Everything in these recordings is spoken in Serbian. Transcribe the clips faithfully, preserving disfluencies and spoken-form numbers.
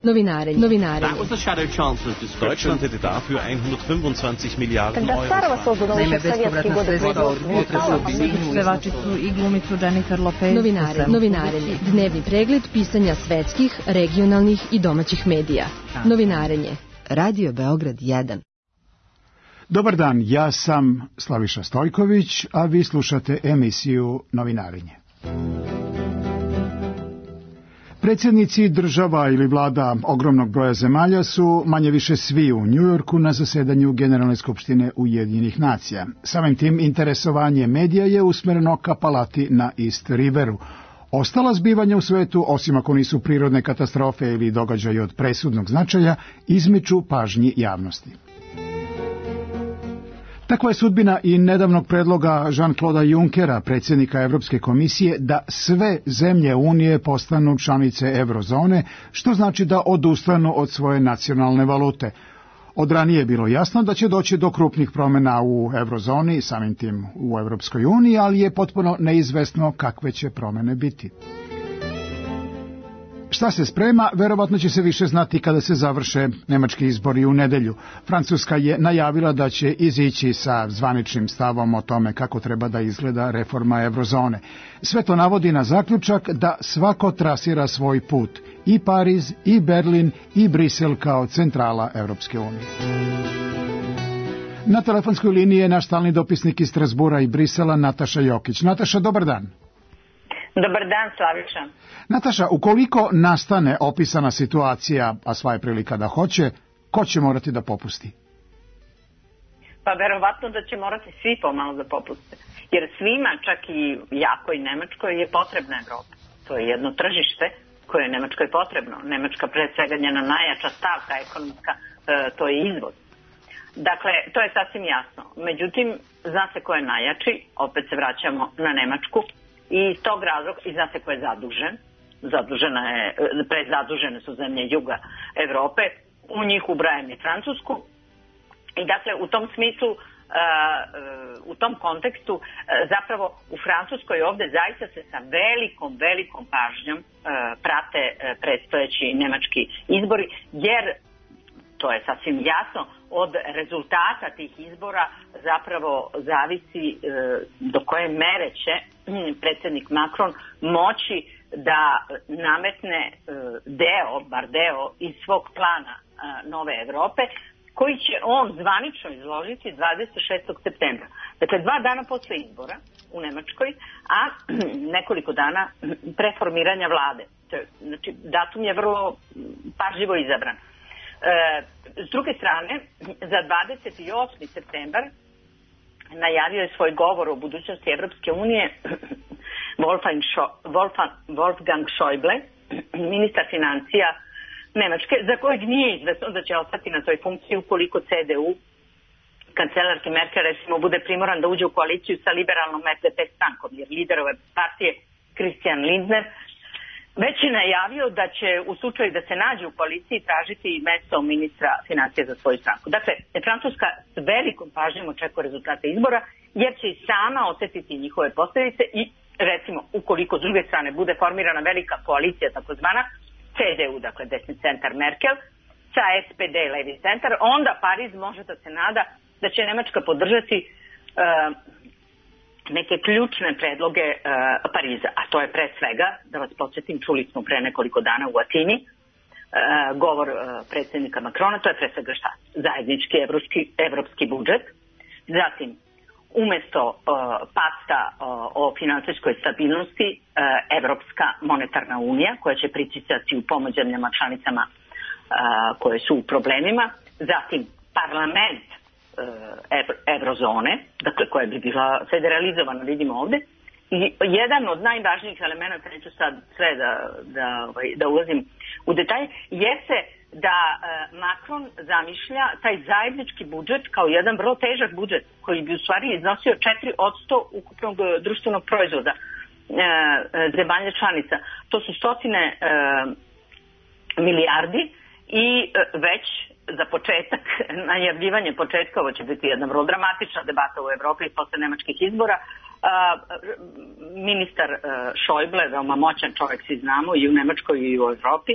Novinarenje. Novinarenje. That was the shadow chancellor's description. Deutschland hätte dafür hundertfünfundzwanzig Miliarden Euro. Naime, bespovratna sredstva od pevačicu i glumicu Jennifer Lopez. Novinare, novinarenje. Dnevni pregled pisanja svetskih, regionalnih i domaćih medija. Novinarenje. Radio Beograd jedan. Dobar dan, ja sam Slaviša Stojković, a vi slušate emisiju Novinarenje. Predsjednici država ili vlada ogromnog broja zemalja su manje više svi u Njujorku na zasedanju Generalne skupštine Ujedinjenih nacija. Samim tim interesovanje medija je usmjereno ka palati na East Riveru. Ostala zbivanja u svetu, osim ako nisu prirodne katastrofe ili događaji od presudnog značaja, izmiču pažnji javnosti. Takva je sudbina i nedavnog predloga Jean-Claude Junckera, predsjednika Evropske komisije, da sve zemlje Unije postanu članice eurozone, što znači da odustanu od svoje nacionalne valute. Od ranije je bilo jasno da će doći do krupnih promjena u eurozoni, samim tim u Evropskoj uniji, ali je potpuno neizvesno kakve će promjene biti. Šta se sprema, verovatno će se više znati kada se završe nemački izbori u nedelju. Francuska je najavila da će izići sa zvaničnim stavom o tome kako treba da izgleda reforma eurozone. Sve to navodi na zaključak da svako trasira svoj put, i Pariz, i Berlin, i Brisel kao centrala Evropske unije. Na telefonskoj liniji je naš stalni dopisnik iz Strasbura i Brisela, Nataša Jokić. Nataša, dobar dan. Dobar dan, Slaviša. Nataša, ukoliko nastane opisana situacija, a sva je prilika da hoće, ko će morati da popusti? Pa verovatno da će morati svi pomalo da popuste. Jer svima, čak i jakoj Nemačkoj, je potrebna Evropa. To je jedno tržište koje je Nemačkoj potrebno. Nemačka pred svega njena najjača stavka ekonomska, e, to je izvoz. Dakle, to je sasvim jasno. Međutim, zna se ko je najjači, opet se vraćamo na Nemačku. I iz tog razloga, i zna se ko je zadužen, zadužena je, prezadužene su zemlje juga Evrope, u njih ubrajam i Francusku. I dakle, u tom smislu, u tom kontekstu, zapravo u Francuskoj ovdje zaista se sa velikom, velikom pažnjom prate predstojeći nemački izbori, jer to je sasvim jasno, od rezultata tih izbora zapravo zavisi e, do koje mere će predsjednik Macron moći da nametne e, deo, bar deo iz svog plana e, nove Evrope, koji će on zvanično izložiti dvadeset šestog septembra. Dakle, dva dana posle izbora u Nemačkoj, a nekoliko dana pre formiranja vlade. Znači, datum je vrlo pažljivo izabran. E, s druge strane, za dvadeset osmi septembar najavio je svoj govor o budućnosti Evropske unije Wolfgang, Scho- Wolfgang, Wolfgang Schäuble, ministar financija Nemačke, za kojeg nije izvesno da će ostati na toj funkciji ukoliko C D U, kancelarki Merkel, recimo, bude primoran da uđe u koaliciju sa liberalnom S D P strankom, jer lider ove partije Christian Lindner već je najavio da će u slučaju da se nađe u koaliciji tražiti mesto ministra financija za svoju stranku. Dakle, Francuska s velikom pažnjom očekuje rezultate izbora, jer će i sama osjetiti njihove posljedice i, recimo, ukoliko s druge strane bude formirana velika koalicija, takozvana C D U, dakle desni centar Merkel, sa S P D levi centar, onda Pariz može da se nada da će Nemačka podržati uh, neke ključne predloge uh, Pariza, a to je pre svega, da vas podsjetim, čuli smo pre nekoliko dana u Atini, uh, govor uh, predsjednika Macrona, to je pre svega šta? Zajednički evropski, evropski budžet, zatim umesto uh, pakta uh, o finansijskoj stabilnosti, uh, Evropska monetarna unija, koja će pritisati u pomoć zemljama članicama uh, koje su u problemima, zatim parlament eurozone, dakle koja bi bila federalizovana, vidimo ovdje. I jedan od najvažnijih elementa, neću sad sve da, da, da ulazim u detalje, jeste da Macron zamišlja taj zajednički budžet kao jedan vrlo težak budžet koji bi u stvari iznosio četiri posto ukupnog društvenog proizvoda zemalja članica. To su stotine milijardi i već za početak, najavljivanje početka, ovo će biti jedna vrlo dramatična debata u Evropi posle nemačkih izbora. Ministar Schäuble, veoma moćan čovjek, svi znamo, i u Nemačkoj i u Evropi,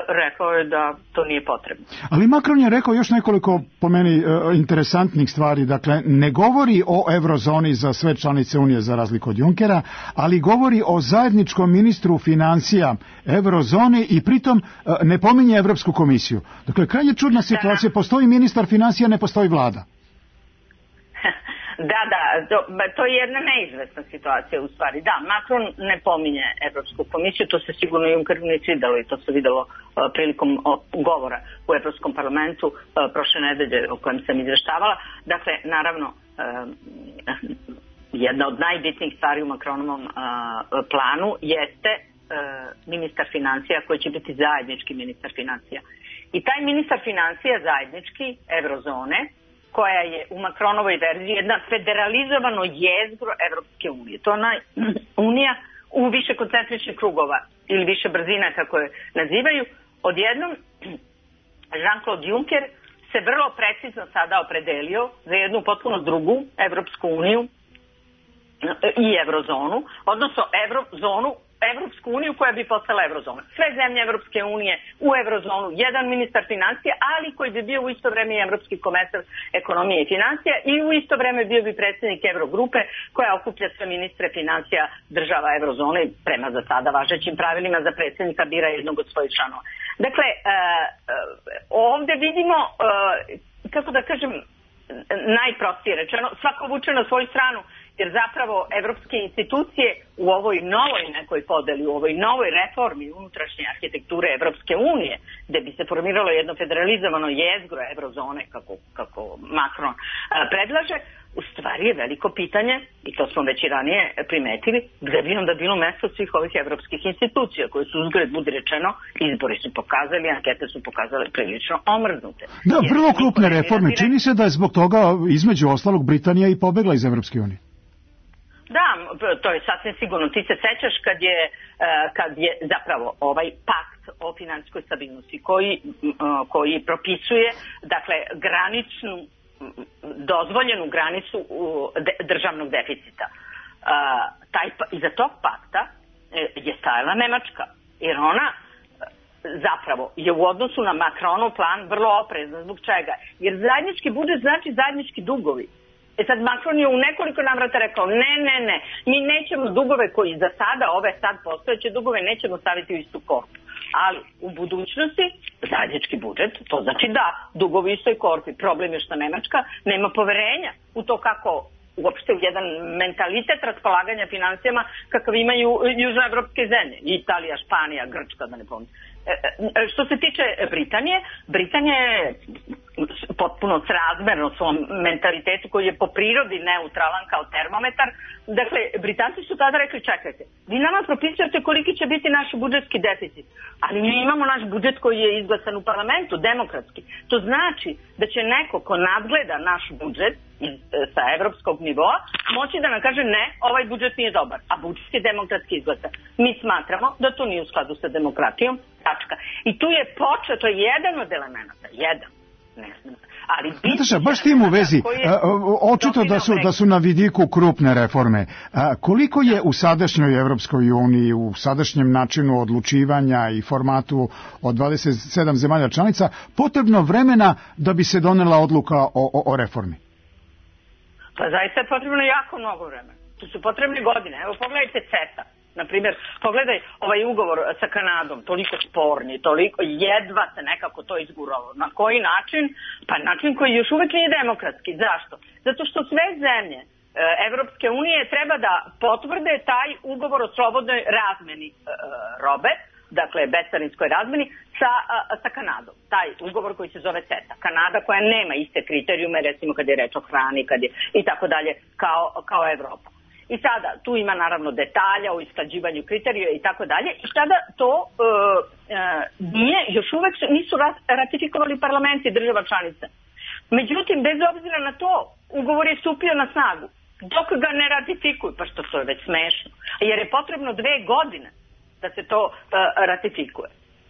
rekao je da to nije potrebno. Ali Macron je rekao još nekoliko, po meni, interesantnih stvari. Dakle, ne govori o eurozoni za sve članice Unije za razliku od Junckera, ali govori o zajedničkom ministru financija eurozone i pritom ne pominje Evropsku komisiju. Dakle, krajnje čudna situacija. Postoji ministar financija, ne postoji vlada. Da, da, to, to je jedna neizvesna situacija u stvari. Da, Macron ne pominje Evropsku komisiju, to se sigurno Junckeru ne svidelo i to se videlo uh, prilikom o, govora u Evropskom parlamentu uh, prošle nedelje o kojem sam izveštavala. Dakle, naravno, uh, jedna od najbitnijih stvari u Macronovom uh, planu jeste uh, ministar financija koji će biti zajednički ministar financija. I taj ministar financija zajednički Eurozone, koja je u Macronovoj verziji jedna federalizovano jezgro Evropske unije. To je ona unija u više koncentričnih krugova ili više brzina, kako je nazivaju. Odjednom, Jean-Claude Juncker se vrlo precizno sada opredelio za jednu potpuno drugu Evropsku uniju i Eurozonu, odnosno Eurozonu, Evropsku uniju koja bi postala Eurozona. Sve zemlje Evropske unije u Eurozonu, jedan ministar financija, ali koji bi bio u isto vreme i Evropski komesar ekonomije i financija i u isto vreme bio bi predsjednik Eurogrupe koja okuplja sve ministre financija država Eurozone prema za sada važećim pravilima za predsjednika bira jednog od svojih članova. Dakle, uh, uh, ovde vidimo, uh, kako da kažem, najprostije rečeno, svako vuče na svoju stranu, jer zapravo evropske institucije u ovoj novoj nekoj podeli, u ovoj novoj reformi unutrašnje arhitekture Evropske unije, gde bi se formiralo jedno federalizovano jezgro Eurozone, kako, kako Macron a, predlaže, u stvari je veliko pitanje, i to smo već i ranije primetili, gde bi onda bilo mesto svih ovih evropskih institucija, koje su uzgled, budi rečeno, izbori su pokazali, ankete su pokazale prilično omrznute. Da, vrlo krupne reforme. Čini se da je zbog toga, između ostalog, Britanija i pobegla iz Evropske unije. Da, to je sasvim sigurno. Ti se sećaš kad je, kad je zapravo ovaj pakt o financijskoj stabilnosti koji, koji propisuje, dakle, graničnu, dozvoljenu granicu državnog deficita. Taj, iza tog pakta je stajala Nemačka, jer ona zapravo je u odnosu na Macronov plan vrlo oprezna. Zbog čega? Jer zajednički budžet znači zajednički dugovi. E sad Macron je u nekoliko navrata rekao ne, ne, ne, mi nećemo dugove koji za sada, ove sad postojeće dugove, nećemo staviti u istu korpu. Ali u budućnosti zajednički budžet, to znači da, dugovi u istoj korpi. Problem je što Nemačka nema poverenja u to kako uopšte u jedan mentalitet raspolaganja financijama kakav imaju južnoevropske zemlje. Italija, Španija, Grčka, da ne pominjem. Što se tiče Britanije, Britanija je potpuno srazmerno svom mentalitetu koji je po prirodi neutralan kao termometar. Dakle, Britanci su tada rekli, čekajte, vi nama propisujete koliki će biti naš budžetski deficit, ali mi imamo naš budžet koji je izglasan u parlamentu, demokratski. To znači da će neko ko nadgleda naš budžet iz, sa evropskog nivoa moći da nam kaže ne, ovaj budžet nije dobar, a budžet je demokratski izglasan. Mi smatramo da to nije u skladu sa demokratijom, tačka. I tu je počeo, to je jedan od elemenata, jedan. Ne znam. Ali Nataša, baš tim u vezi, očito da su, da su na vidiku krupne reforme. A, koliko je u sadašnjoj Evropskoj uniji, u sadašnjem načinu odlučivanja i formatu od dvadeset sedam zemalja članica potrebno vremena da bi se donela odluka o, o, o reformi? Pa zaista je potrebno jako mnogo vremena. Tu su potrebne godine. Evo pogledajte CETA. Naprimjer, pogledaj ovaj ugovor sa Kanadom, toliko sporni, toliko jedva se nekako to izguralo. Na koji način? Pa način koji još uvek nije demokratski. Zašto? Zato što sve zemlje e, Evropske unije treba da potvrde taj ugovor o slobodnoj razmeni e, robe, dakle bescarinskoj razmeni, sa, a, sa Kanadom. Taj ugovor koji se zove CETA. Kanada koja nema iste kriterijume, recimo kad je reč o hrani kad je, i tako dalje, kao, kao Evropa. I sada, tu ima naravno detalja o isklađivanju kriterija i tako dalje. I sada to e, e, nije, još uvek nisu ratifikovali parlamenti država članica. Međutim, bez obzira na to, ugovor je stupio na snagu. Dok ga ne ratifikuju, pa što to je već smešno, jer je potrebno dve godine da se to e, ratifikuje.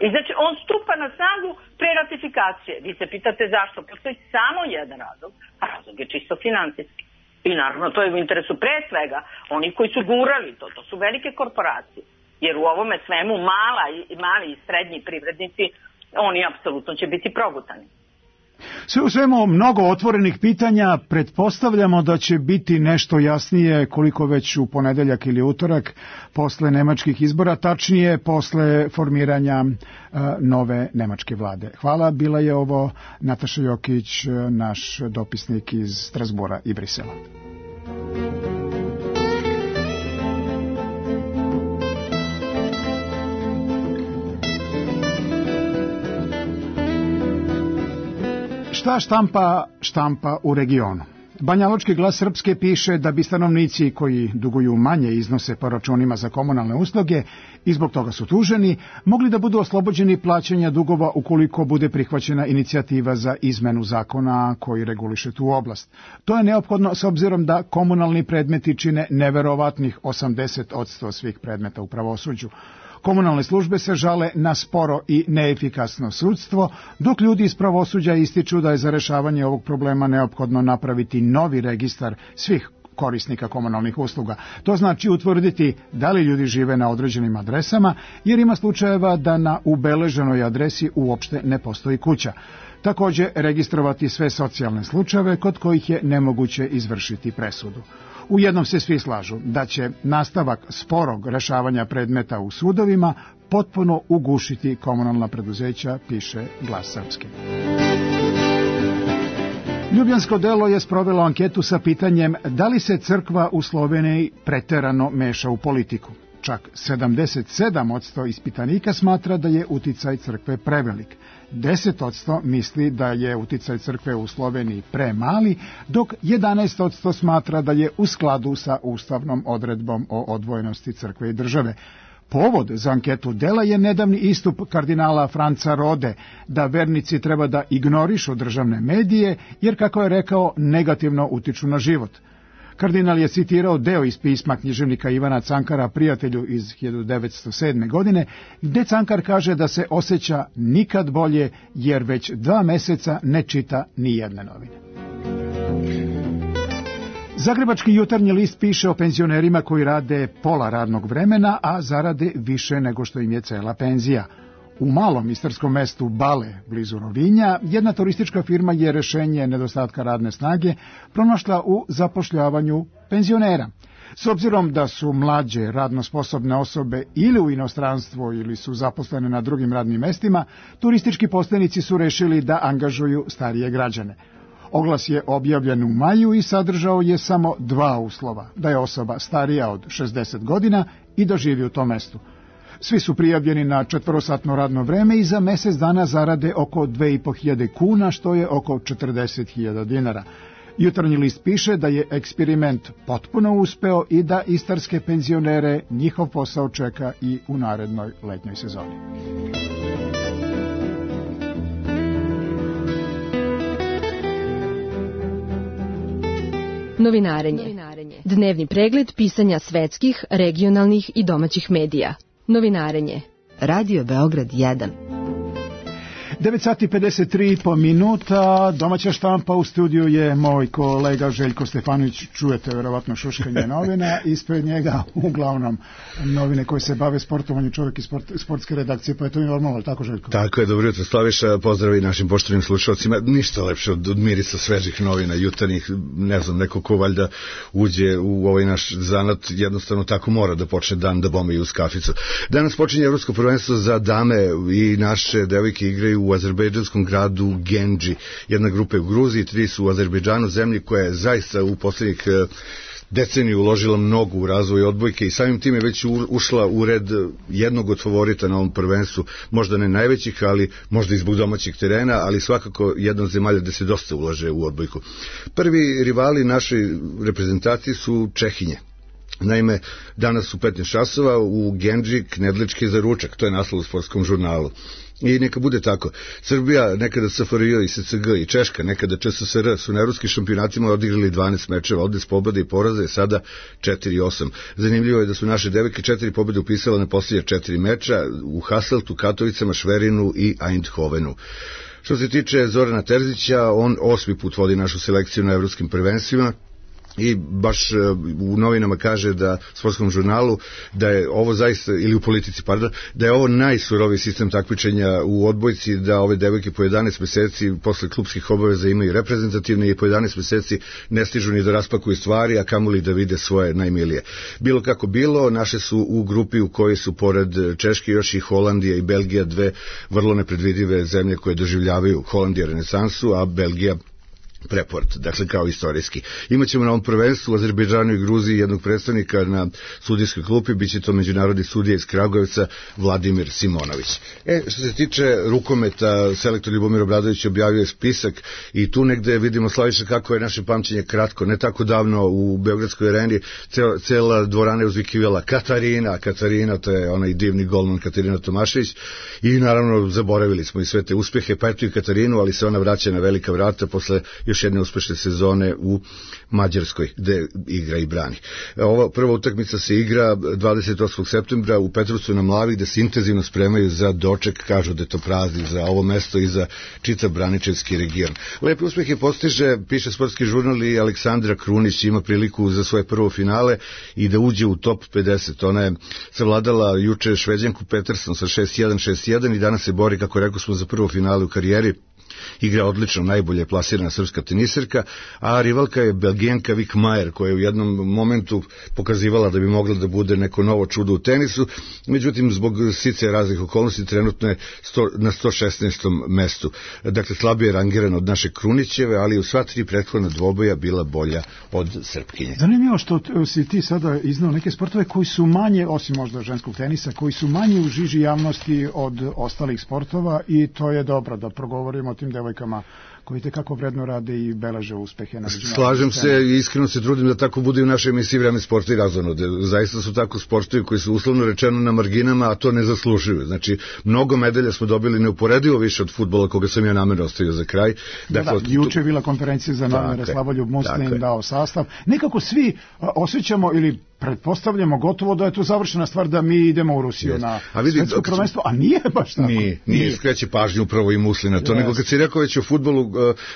I znači, on stupa na snagu pre ratifikacije. Vi se pitate zašto? Postoji samo jedan razlog, a razlog je čisto finansijski. I naravno, to je u interesu pre svega oni koji su gurali to, to su velike korporacije. jer u ovome svemu mala i mali i srednji privrednici, oni apsolutno će biti progutani. Sve u svemu mnogo otvorenih pitanja, pretpostavljamo da će biti nešto jasnije koliko već u ponedeljak ili utorak posle nemačkih izbora, tačnije posle formiranja uh, nove nemačke vlade. Hvala, bila je ovo Nataša Jokić, naš dopisnik iz Strasbura i Brisela. Šta štampa štampa u regionu? Banjalučki glas Srpske piše da bi stanovnici koji duguju manje iznose po računima za komunalne usluge i zbog toga su tuženi, mogli da budu oslobođeni plaćanja dugova ukoliko bude prihvaćena inicijativa za izmenu zakona koji reguliše tu oblast. To je neophodno s obzirom da komunalni predmeti čine neverovatnih osamdeset posto svih predmeta u pravosuđu. Komunalne službe se žale na sporo i neefikasno sudstvo, dok ljudi iz pravosuđa ističu da je za rešavanje ovog problema neophodno napraviti novi registar svih korisnika komunalnih usluga. To znači utvrditi da li ljudi žive na određenim adresama, jer ima slučajeva da na ubeleženoj adresi uopšte ne postoji kuća. Takođe, registrovati sve socijalne slučajeve kod kojih je nemoguće izvršiti presudu. U jednom se svi slažu da će nastavak sporog rešavanja predmeta u sudovima potpuno ugušiti komunalna preduzeća, piše Glas Srpske. Ljubljansko delo je sprovelo anketu sa pitanjem da li se crkva u Sloveniji preterano meša u politiku. Čak sedamdeset sedam posto ispitanika smatra da je uticaj crkve prevelik. deset posto misli da je uticaj crkve u Sloveniji premali, dok jedanaest posto smatra da je u skladu sa ustavnom odredbom o odvojenosti crkve i države. Povod za anketu dela je nedavni istup kardinala Franca Rode da vernici treba da ignorišu državne medije, jer, kako je rekao, negativno utiču na život. Kardinal je citirao deo iz pisma književnika Ivana Cankara Prijatelju iz hiljadu devetsto sedme. godine, gde Cankar kaže da se osjeća nikad bolje, jer već dva meseca ne čita ni jedne novine. Zagrebački jutarnji list piše o penzionerima koji rade pola radnog vremena, a zarade više nego što im je cela penzija. U malom istarskom mestu Bale, blizu Rovinja, jedna turistička firma je rešenje nedostatka radne snage pronašla u zapošljavanju penzionera. S obzirom da su mlađe radno sposobne osobe ili u inostranstvu ili su zaposlene na drugim radnim mestima, turistički postajnici su rešili da angažuju starije građane. Oglas je objavljen u maju i sadržao je samo dva uslova, da je osoba starija od šezdeset godina i da živi u tom mestu. Svi su prijavljeni na četvorosatno radno vreme i za mesec dana zarade oko dve i po hiljade kuna, što je oko četrdeset hiljada dinara. Jutarnji list piše da je eksperiment potpuno uspeo i da istarske penzionere njihov posao čeka i u narednoj letnjoj sezoni. Novinarenje. Dnevni pregled pisanja svetskih, regionalnih i domaćih medija. Novinarenje. Radio Beograd jedan. devet sati pedeset tri po minuta, domaća štampa, u studiju je moj kolega Željko Stefanović, čujete verovatno šuškanje novina, ispred njega uglavnom novine koje se bave sportovanjem, čovjek iz sport, sportske redakcije, pa je to mi normalno, tako Željko? Tako je, dobro jutro Slaviša, pozdrav i našim poštovanim slušalcima, ništa lepše od, od mirisa svežih novina, jutarnjih, ne znam, neko ko valjda uđe u ovaj naš zanat, jednostavno tako mora da počne dan da bombi uz kaficu. Danas počinje Evropsko prvenstvo za dame i naše devojke igraju u azerbejdžanskom gradu Genđi. Jedna grupa je u Gruziji, tri su u Azerbejdžanu, zemlji koja je zaista u posljednjih deceniju uložila mnogo u razvoj odbojke i samim tim je već ušla u red jednog od favorita na ovom prvenstvu, možda ne najvećih, ali možda i zbog domaćih terena, ali svakako jedna od zemalja gde se dosta ulaže u odbojku. Prvi rivali našoj reprezentaciji su Čehinje. Naime, danas u petnaest časova u Genđi knedlički za ručak, to je naslov u sportskom žurnalu. I neka bude tako. Srbija, nekada S F R J i S C G i Češka, nekada Č S S R su na evropskim šampionatima odigrali dvanaest mečeva, odnes pobjede i poraze, sada četiri osam. Zanimljivo je da su naše devojke četiri pobjede upisale na posljednja četiri meča u Hasseltu, Katovicama, Šverinu i Eindhovenu. Što se tiče Zorana Terzića, on osmi put vodi našu selekciju na evropskim prvenstvima i baš u novinama kaže da sportskom žurnalu da je ovo zaista, ili u politici pardon, da je ovo najsuroviji sistem takmičenja u odbojci, da ove devojke po jedanaest meseci posle klubskih obaveza imaju reprezentativne i po jedanaest meseci ne stižu ni da raspakuju stvari, a kamoli da vide svoje najmilije. Bilo kako bilo, naše su u grupi u kojoj su pored Češke još i Holandija i Belgija, dve vrlo nepredvidive zemlje koje doživljavaju, Holandija renesansu, a Belgija preport, dakle kao istorijski. Imaćemo na ovom prvenstvu u Azerbejdžanu i Gruziji jednog predstavnika na sudijskoj klupi, bit će to međunarodni sudija iz Kragujevca Vladimir Simonović. E, što se tiče rukometa, selektor Ljubomir Obradović objavio je spisak i tu negde vidimo, Slaviša, kako je naše pamćenje kratko. Ne tako davno u Beogradskoj areni cela, cela dvorana je uzvikivala Katarina, Katarina, to je onaj divni golman Katarina Tomašević, i naravno zaboravili smo i sve te uspehe, pa eto i Katarinu, ali se ona vraća na velika vrata posle još jedne uspešne sezone u Mađarskoj, gde igra i brani. Ova prva utakmica se igra dvadeset osmog septembra u Petrovcu na Mlavi, gde se intenzivno spremaju za doček, kažu da je to praznik za ovo mesto i za čitav Braničevski region. Lepe uspehe postiže, piše sportski žurnal, i Aleksandra Krunić ima priliku za svoje prvo finale i da uđe u top pedeset. Ona je savladala juče Šveđanku Peterson sa šest jedan šest jedan i danas se bori, kako rekao smo, za prvo finale u karijeri. Igra odlično, najbolje plasirana srpska teniserka, a rivalka je Belgijanka Vik Majer, koja je u jednom momentu pokazivala da bi mogla da bude neko novo čudo u tenisu, međutim zbog sice raznih okolnosti trenutno je sto, na sto šesnaestom mestu. Dakle, slabije rangirana od naše Krunićeve, ali u sva tri prethodna dvoboja bila bolja od Srpkinje. Zanimljivo što si ti sada iznao neke sportove koji su manje, osim možda ženskog tenisa, koji su manje u žiži javnosti od ostalih sportova, i to je dobro da progovorimo o tim devojkama koji te kako vredno rade i beleže uspehe na međunarodnoj. Slažem se i iskreno se trudim da tako bude i u našoj emisiji Vreme sporta i razonode. Zaista su tako sportovi koji su uslovno rečeno na marginama, a to ne zaslužuju. Znači, mnogo medalja smo dobili neuporedivo više od fudbala, koga sam ja namerno ostavio za kraj. Dakle, da, da, juče je bila konferencija za novinare, Slavoljub Muslim dao sastav. Nekako svi osjećamo ili pretpostavljamo gotovo da je to završena stvar, da mi idemo u Rusiju yes. na a vidi, svetsko prvenstvo, a nije baš tako. Nije, nije, nije. Skreće pažnju upravo i Muslin na to, yes. nego kad si rekao već o fudbalu,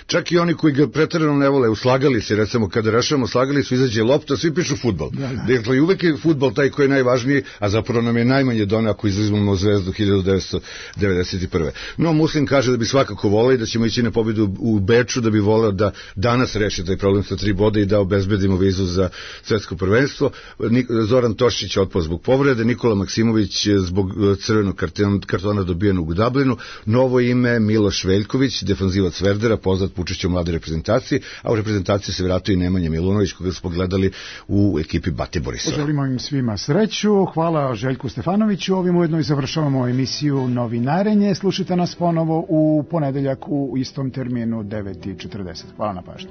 čak i oni koji ga preterano ne vole, uslagali se, recimo kada rešavamo, slagali su, izađe lopta, svi pišu fudbal. Da, da. Dakle, uvek je fudbal taj koji je najvažniji, a zapravo nam je najmanje doneo ako izuzmemo Zvezdu hiljadu devetsto devedeset prve. No, Muslin kaže da bi svakako voleo i da ćemo ići na pobjedu u Beču, da bi voleo da danas reši taj problem sa tri boda i da obezbedimo vizu za svetsko prvenstvo. Zoran Tošić otpao zbog povrede, Nikola Maksimović zbog crvenog kartona dobijenog u Dublinu, novo ime Miloš Veljković, defanzivac Verdera, poznat po učešću u mlade reprezentaciji, a u reprezentaciji se vratio i Nemanja Milunović, koga smo gledali u ekipi Bate Borisova. Želimo im svima sreću, hvala Željku Stefanoviću, ovim ujedno i završavamo emisiju Novinarenje, slušajte nas ponovo u ponedeljak u istom terminu devet i četrdeset. Hvala na pažnju.